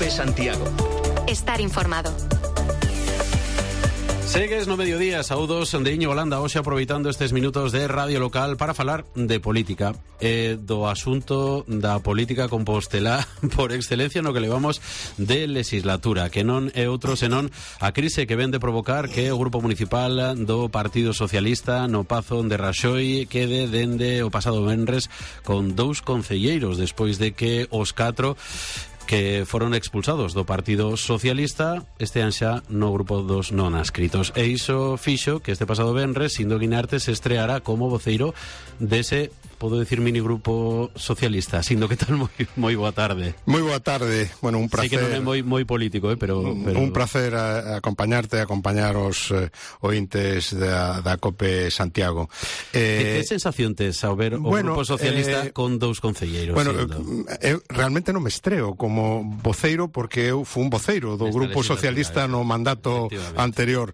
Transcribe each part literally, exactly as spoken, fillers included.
COPE Santiago. Estar informado. Segues no mediodía, saúdos de Iñigo Landa, hoxe aproveitando estes minutos de radio local para falar de política, eh, do asunto da política compostelá por excelencia no que levamos de legislatura, que non é outro senón a crise que ven de provocar que o Grupo Municipal do Partido Socialista no Pazo de Raxoi quede dende o pasado venres con dous concelleiros despois de que os catro que foron expulsados do Partido Socialista estean xa no grupo dos non adscritos. E iso fixo que este pasado venres Sindo Guinarte se estreara como voceiro dese, podo decir, minigrupo socialista. Sindo, que tal? Moi, moi boa tarde. Moi boa tarde. Bueno, un placer. Sei que non é moi, moi político, eh, pero, pero... Un placer a, a acompañarte, a acompañar os eh, ointes da, da COPE Santiago. Eh, que, que sensación tes ao ver o bueno, grupo socialista eh, con dous concelleiros? Bueno, eu realmente non me estreo como voceiro porque eu fui un voceiro do Grupo Socialista no mandato anterior.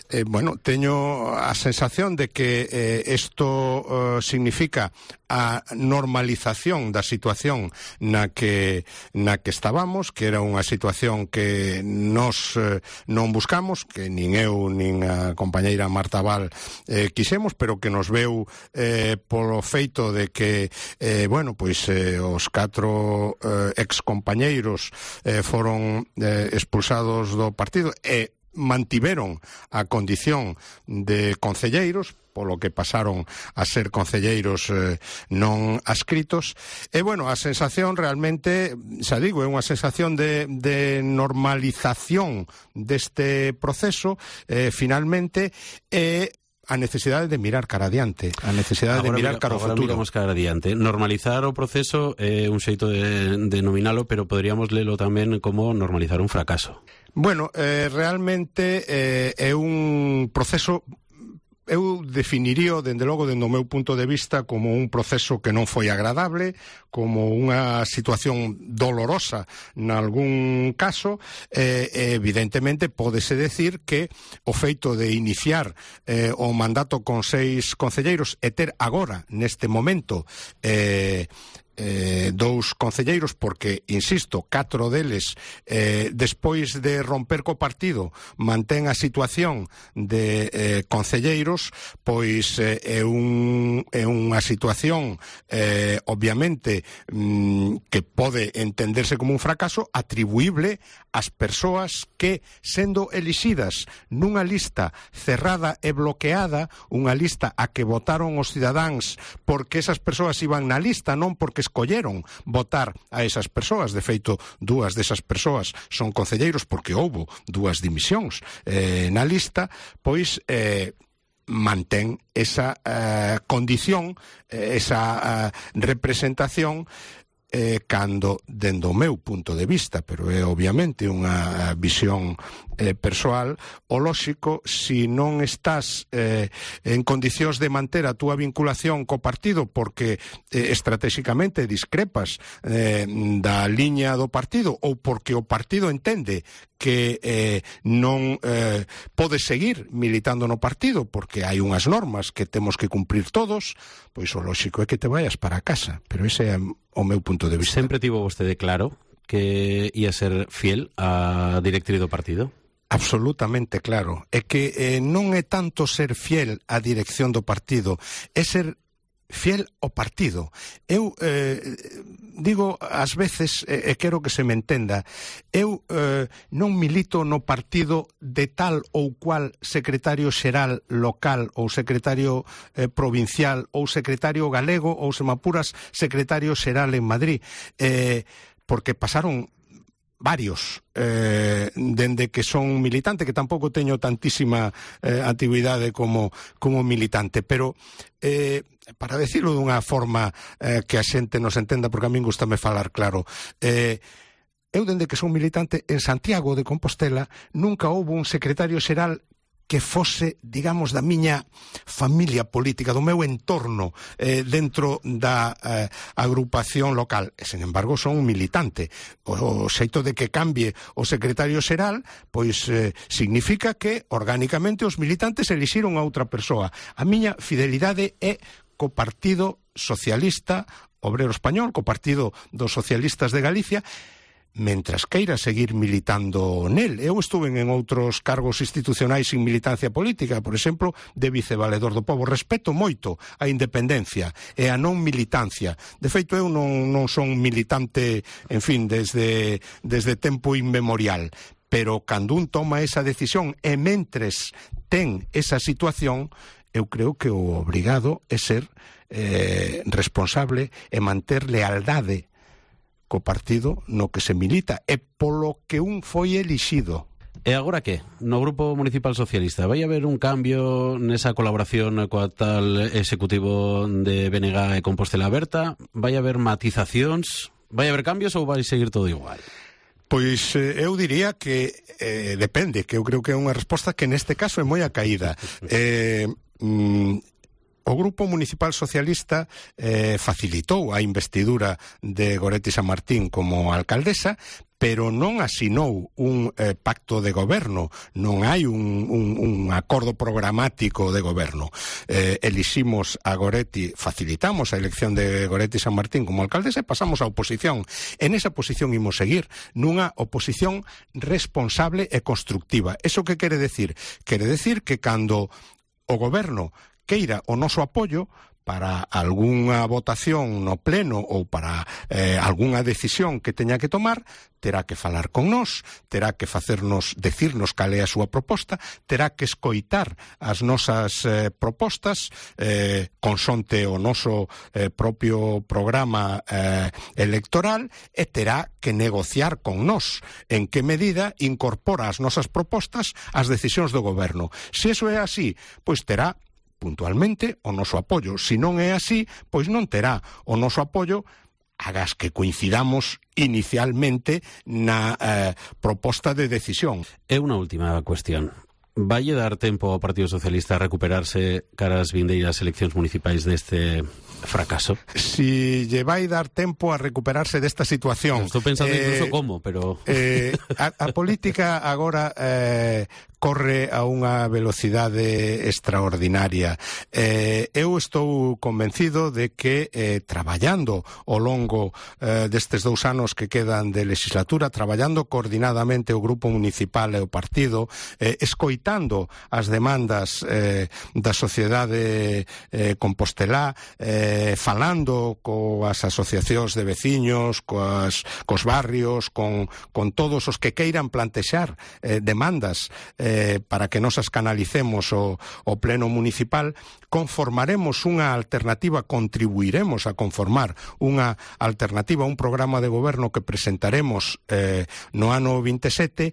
Eh, bueno, teño a sensación de que isto eh, eh, significa a normalización da situación na que na que estábamos, que era unha situación que nos eh, non buscamos, que nin eu nin a compañeira Marta Val eh, quixemos, pero que nos veu eh, polo feito de que eh, bueno, pois eh, os catro eh, ex compañeiros eh, foron eh, expulsados do partido e mantiveron a condición de concelleiros, polo que pasaron a ser concelleiros eh, non adscritos. E, bueno, a sensación realmente, xa digo, é unha sensación de, de normalización deste proceso, eh, finalmente, e a necesidade de mirar cara adiante, a necesidade agora de mirar cara ao futuro. Agora miramos cara adiante. Normalizar o proceso é un xeito de, de nominalo, pero poderíamos lelo tamén como normalizar un fracaso. Bueno, eh, realmente eh, é un proceso... Eu definiría, dende logo, dende o meu punto de vista, como un proceso que non foi agradable, como unha situación dolorosa nalgún caso, e eh, evidentemente pódese decir que o feito de iniciar eh, o mandato con seis concelleiros e ter agora, neste momento, eh, Eh, dous concelleiros, porque, insisto, catro deles eh, despois de romper co partido mantén a situación de eh, concelleiros, pois eh, é, un, é unha situación eh, obviamente mm, que pode entenderse como un fracaso atribuible ás persoas que, sendo elixidas nunha lista cerrada e bloqueada, unha lista a que votaron os cidadáns porque esas persoas iban na lista, non porque escolleron votar a esas persoas. De feito, dúas desas persoas son concelleiros porque houbo dúas dimisións eh, na lista, pois eh, mantén esa eh, condición, eh, esa eh, representación, eh, cando, dende o meu punto de vista, pero é obviamente unha visión eh, persoal, o lóxico, si non estás eh, en condicións de manter a túa vinculación co partido porque eh, estratégicamente discrepas eh, da liña do partido, ou porque o partido entende que eh, non eh, pode seguir militando no partido porque hai unhas normas que temos que cumprir todos, pois o lóxico é que te vayas para casa. Pero ese é o meu punto de vista. Sempre tivo vostede claro que ia ser fiel á directriz do partido? Absolutamente claro. É que eh, non é tanto ser fiel á dirección do partido, é ser fiel ao partido. Eu eh, digo ás veces, e eh, quero que se me entenda, eu eh, non milito no partido de tal ou cual secretario xeral local ou secretario eh, provincial ou secretario galego ou, se me apuras, secretario xeral en Madrid, eh, porque pasaron varios eh, dende que son militante, que tampouco teño tantísima eh, actividade como, como militante, pero eh, para decirlo dunha forma eh, que a xente nos entenda, porque a min gustame falar claro, eh, eu dende que son militante en Santiago de Compostela nunca houbo un secretario xeral que fose, digamos, da miña familia política, do meu entorno eh, dentro da eh, agrupación local. E, sen embargo, son un militante. O, o xeito de que cambie o secretario xeral, pois eh, significa que, orgánicamente, os militantes elixiron a outra persoa. A miña fidelidade é co Partido Socialista Obrero Español, co Partido dos Socialistas de Galicia, mentras queira seguir militando nel. Eu estuve en outros cargos institucionais sin militancia política, por exemplo, de vicevaledor do pobo. Respeto moito a independencia e a non militancia. De feito, eu non, non son militante, en fin, desde, desde tempo inmemorial. Pero cando un toma esa decisión e mentres ten esa situación, eu creo que o obrigado é ser eh, responsable e manter lealdade co partido no que se milita e polo que un foi elixido. E agora que? No Grupo Municipal Socialista vai haber un cambio nesa colaboración coa tal executivo de B N G e Compostela Aberta? Vai haber matizacións? Vai haber cambios ou vai seguir todo igual? Pois eh, eu diría que eh, depende, que eu creo que é unha resposta que neste caso é moi acaída. Eh, mm, O Grupo Municipal Socialista eh, facilitou a investidura de Goretti Sanmartín como alcaldesa, pero non asinou un eh, pacto de goberno, non hai un, un, un acordo programático de goberno. Eh, eliximos a Goretti, facilitamos a elección de Goretti Sanmartín como alcaldesa e pasamos á oposición. En esa posición imos seguir nunha oposición responsable e constructiva. Eso que quere decir? Quere decir que cando o goberno queira o noso apoio para algunha votación no pleno ou para eh, algunha decisión que teña que tomar, terá que falar con nós, terá que facernos, decirnos cal é a súa proposta, terá que escoitar as nosas eh, propostas eh, consonte o noso eh, propio programa eh, electoral e terá que negociar con nós en que medida incorpora as nosas propostas ás decisións do goberno. Se iso é así, pois terá puntualmente o noso apoio. Se non é así, pois non terá o noso apoio, agas que coincidamos inicialmente na eh, proposta de decisión. É unha última cuestión. Vai dar tempo ao Partido Socialista a recuperarse cara ás vindeiras eleccións municipais deste fracaso? Si lle vai dar tempo a recuperarse desta situación. Estou pensando eh, incluso como, pero... Eh, a, a política agora eh, corre a unha velocidade extraordinaria. Eh, eu estou convencido de que eh, traballando ao longo eh, destes dous anos que quedan de legislatura, traballando coordinadamente o Grupo Municipal e o Partido, eh, escoitando as demandas eh, da sociedade eh, compostelá, eh, falando coas asociacións de veciños, coas, cos barrios, con, con todos os que queiran plantexar eh, demandas eh, para que nos as canalicemos o, o pleno municipal, conformaremos unha alternativa, contribuiremos a conformar unha alternativa, un programa de goberno que presentaremos eh, no ano vinte e sete,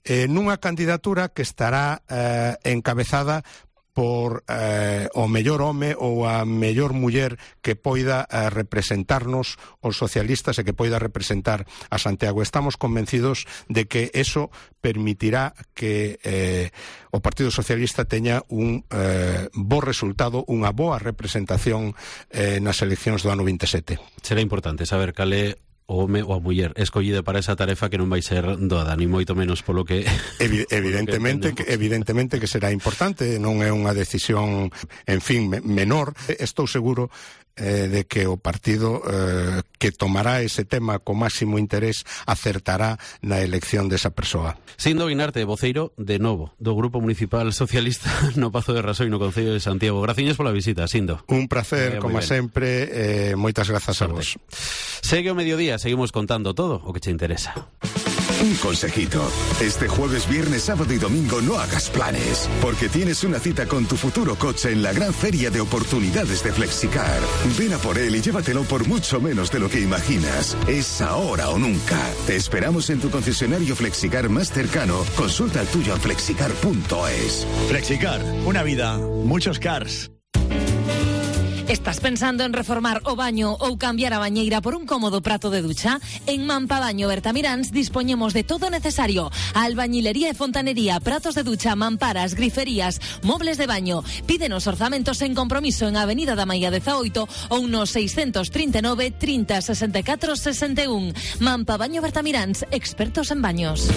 eh, nunha candidatura que estará eh, encabezada por eh, o mellor home ou a mellor muller que poida eh, representarnos os socialistas e que poida representar a Santiago. Estamos convencidos de que eso permitirá que eh, o Partido Socialista teña un eh, bo resultado, unha boa representación eh, nas eleccións do ano vinte e sete. Será importante saber cal é o home ou a muller escollida para esa tarefa que non vai ser doada, ni moito menos polo que... Evi evidentemente, que, evidentemente que será importante, non é unha decisión, en fin, menor. Estou seguro eh, de que o partido eh, que tomará ese tema co máximo interés acertará na elección desa persoa. Sindo Guinarte, voceiro de novo do Grupo Municipal Socialista no Pazo de Rasoi, no Concello de Santiago. Graciñas pola visita, Sindo. Un placer, como sempre, eh, moitas grazas a vos. Segue o mediodía, seguimos contando todo o que che interesa. Un consejito. Este jueves, viernes, sábado y domingo no hagas planes, porque tienes una cita con tu futuro coche en la gran feria de oportunidades de Flexicar. Ven a por él y llévatelo por mucho menos de lo que imaginas. Es ahora o nunca. Te esperamos en tu concesionario Flexicar más cercano. Consulta el tuyo en flexicar punto es. Flexicar, una vida, muchos cars. Estás pensando en reformar o baño ou cambiar a bañeira por un cómodo prato de ducha? En Mampabaño Bertamiráns dispoñemos de todo necesario: albañilería e fontanería, pratos de ducha, mamparas, griferías, mobles de baño. Pídenos orzamentos en compromiso en Avenida da Maia dezaoito ou no seiscentos trinta e nove, trinta, sesenta e catro, sesenta e un. Mampabaño Bertamiráns, expertos en baños.